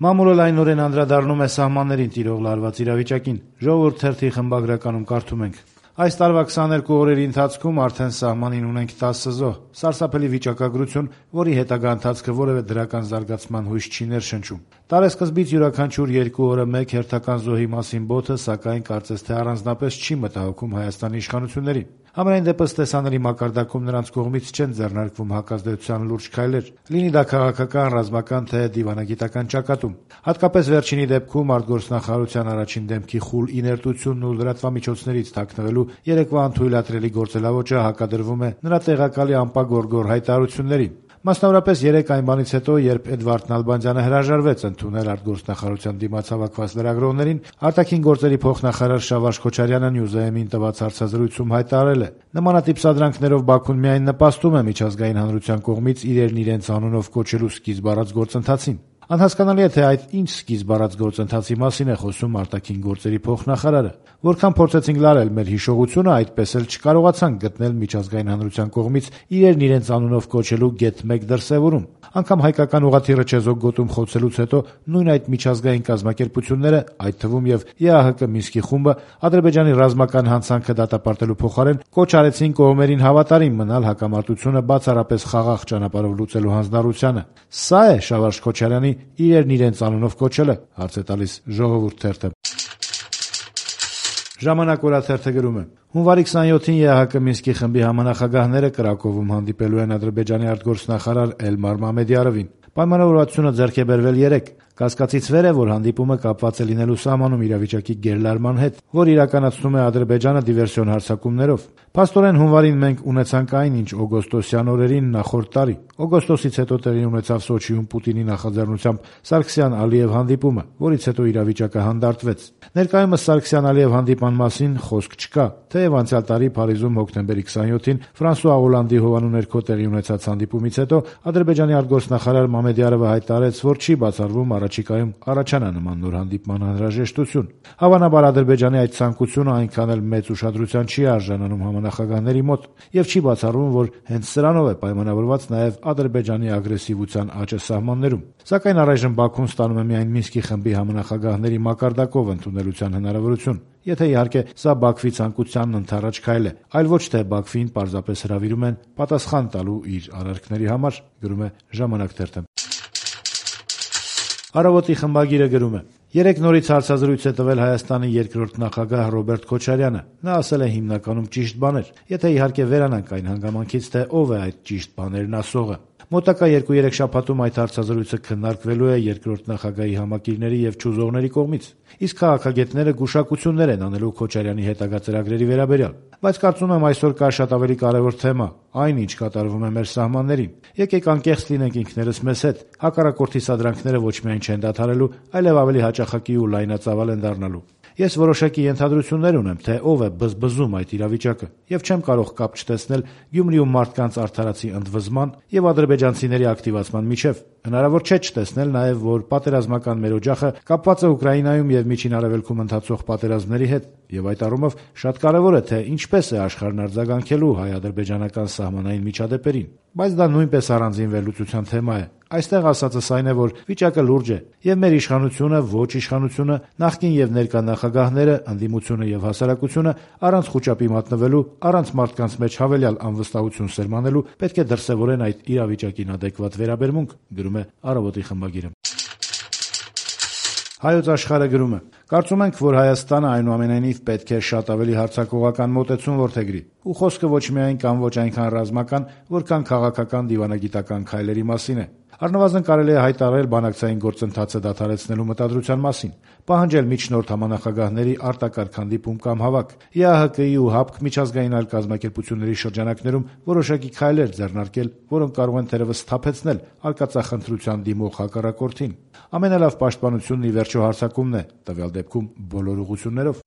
Մամուլը լայնորեն անդրադառնում է սահմաններին տիրող լարված իրավիճակին։ Ժողովուրդ թերթի խմբագրականում կարդում ենք. Այս տարվա 22 օրերի ընթացքում արդեն սահմանին ունենք 10 զոհ, սարսափելի վիճակագրություն, որի հետագա ընթացքը որևէ դրական զարգացման հույս չի ներշնչում։ Տարեսկզբից յուրաքանչյուր 2 օրը մեկ հերթական զոհի մասին բոթը, սակայն կարծես թե առանձնապես չի մտահոգում Հայաստանի իշխանություններին։ Համենայն դեպս տեսանելի մակարդակում նրանց կողմից չեն ձեռնարկվում հակազդեցության լուրջ քայլեր, լինի դա քաղաքական, ռազմական թե դիվանագիտական ճակատում։ Հատկապես վերջինի դեպքում արտգործնախարարության առաջին դեմքի խուլ իներտությունն ու լրատվամիջոցներից թաքնվելու երեկվա անթույլատրելի գործելավոճը հակադրվում է նրա տեղակալի անպագորգոր հայտարարություններին։ Մասնավորապես 3 այն բանից հետո, երբ Էդվարդ Նալբանդյանը հրաժարվեց ընդունել արտգործնախարարության դիմաց հավաքված լրագրողներին, արտաքին գործերի փոխնախարար Շավարժ Քոչարյանը News-am-ին տված հարցազրույցում հայտարարել է. նմանատիպ սադրանքներով Բաքուն միայն նպաստում է միջազգային հանրության կողմից իրերն իրենց անունով կոչելու սկիզբ առած գործընթացին։ Անհասկանալի է, թե այդ ինչ սկիզբ առած գործընթացի մասին է խոսում արտաքին գործերի փոխնախարարը։ Որքան փորձեցինք լարել մեր հիշողությունը, այդպես էլ չկարողացանք գտնել միջազգային հանրության կողմից իրերն իրենց անունով կոչելու գեթ 1 դրսևորում։ Անգամ հայկական ուղղաթիռը չեզոք գոտում խոցելուց հետո նույն այդ միջազգային կազմակերպությունները, այդ թվում եւ ԵԱՀԿ Մինսկի խումբը, Ադրբեջանի ռազմական հանցանքը դատապարտելու փոխարեն կոչ արեցին կողմերին հավատարիմ մնալ հակամարտությունը բացառապես խաղաղ ճանապարհով լուծելու հանձնառությանը։ Սա է Շավարժ Քոչարյանի իրերն իրենց անունով կոչելը, հարց է տալիս Ժողովուրդ թերթը։ Ժամանակ օրաթերթը գրում է. հունվարի 27-ին ԵԱՀԿ Մինսկի խմբի համանախագահները Կրակովում հանդիպելու են Ադրբեջանի արտգործնախարար Էլմար Մամեդյարովին։ Պայմանավորվածությունը ձեռք է բերվել 3. Կասկածից վեր է, որ հանդիպումը կապված է լինելու սահմանում իրավիճակի գերլարման հետ, որ իրականացնում է Ադրբեջանը դիվերսիոն հարձակումներով։ Փաստորեն հունվարին մենք ունեցանք այն, ինչ օգոստոսյան օրերին նախորդ տարի։ Օգոստոսից հետո տեղի ունեցավ Սոչիում Պուտինի նախաձեռնությամբ Սարգսյան-Ալիև հանդիպումը, որից հետո իրավիճակը հանդարտվեց։ Ներկայումս Սարգսյան-Ալիև հանդիպման մասին խոսք չկա, թեև անցյալ տարի Փարիզում հոկտեմբերի 27-ին Ֆրանսուଆ Օլանդի հովանու ներքո տեղի ունեցած հանդիպումից հետո Ադրբեջանի արտգործնախարար Մամեդյարովը հայտարարեց, որ չի բացառվում առաջիկայում առաջանա նման նոր հանդիպման անհրաժեշտություն։ Հավանաբար Ադրբեջանի այդ ցանկությունը այնքան էլ մեծ ուշադրության չի արժանանում համանախագահների մոտ, եւ չի բացառվում, որ հենց սրանով է պայմանավորված նաեւ Ադրբեջանի ագրեսիվության աճը սահմաններում։ Սակայն առայժմ Բաքուն ստանում է միայն Մինսկի խմբի համանախագահների մակարդակով ընդունելության հնարավորություն, եթե իհարկե սա Բաքվի ցանկությանն ընդառաջ քայլ է, այլ ոչ թե Բաքվին պարզապես հրավիրում են պատասխան տալու իր արարքների համար, գրում է Ժամանակ թերթը։ Առավոտի խմբագիրը գրում է. Երեկ նորից հարցազրույց է տվել Հայաստանի երկրորդ նախագահ Ռոբերտ Քոչարյանը։ Նա ասել է հիմնականում ճիշտ բաներ, եթե իհարկե վերանանք այն հանգամանքից, թե ով է այդ ճիշտ բաներն ասողը։ Մոտակա 2-3 շաբաթում այդ հարցազրույցը քննարկվելու է երկրորդ նախագահի համակիրների եւ ճուզողների կողմից, իսկ քաղաքագետները գուշակություններ են անելու Քոչարյանի հետագա ծրագրերի վերաբերյալ։ Բայց կարծում եմ այսօր կա շատ ավելի կարևոր թեմա՝ այն, ինչ կատարվում է մեր սահմաններին։ Եկեք անկեղծ լինենք ինքներս մեզ հետ։ Հակառակորդի սադրանքները ոչ միայն չեն դադարելու, այլև ավելի հաճախակի ու լայնածավալ են դառնալու։ Ես որոշակի ենթադրություններ ունեմ, թե ով է բզբզում այդ իրավիճակը, եւ չեմ կարող կապ չտեսնել Գյումրիում մարդկանց արդարացի ընդվզման եւ ադրբեջանցիների ակտիվացման միջեւ։ Հնարավոր չէ չտեսնել նաեւ, որ պատերազմական մեր օջախը կապված է Ուկրաինայում եւ Միջին Արևելքում ընթացող պատերազմների հետ, եւ այդ առումով շատ կարեւոր է, թե ինչպես է աշխարհն արձագանքելու հայ-ադրբեջանական սահմանային միջադեպերին։ Բայց դա նույնպես առանձին վերլուծության թեմա է։ Այստեղ ասածս այն է, որ վիճակը լուրջ է, եւ մեր իշխանությունը, ոչ իշխանությունը, նախկին եւ ներկա նախագահները, ընդդիմությունը եւ հասարակությունը առանց խուճապի մատնվելու, առանց մարդկանց մեջ հավելյալ անվստահություն սերմանելու պետք է դրսեւորեն այդ իրավիճակին ադեկվատ վերաբերմունք, գրում է Առավոտի խմբագիրը։ Հայոց Աշխարհը գրում է. կարծում ենք, որ Հայաստանը այնուամենայնիվ պետք է շատ ավելի հարձակողական մոտեցում որդեգրի, ու խոսքը ոչ միայն կամ ոչ այնքան ռազմական, որքան քաղաքական դիվանագիտական քայլերի մասին է։ Առնվազն կարելի է հայտարարել բանակցային գործընթացը դադարեցնելու մտադրության մասին, պահանջել միջնորդ համանախագահների արտակարգ հանդիպում կամ հավաք, ԵԱՀԿ-ի ու ՀԱՊԿ միջազգային այլ կազմակերպությունների շրջանակներում որոշակի քայլեր ձեռնարկել, որոնք կարող են թերևս սթափեցնել արկածախնդրության դիմող հակառակորդին։ Ամենալավ պաշտպանությունն ի վերջո հարձակումն է, տվյալ դեպքում բոլոր ուղղություններով։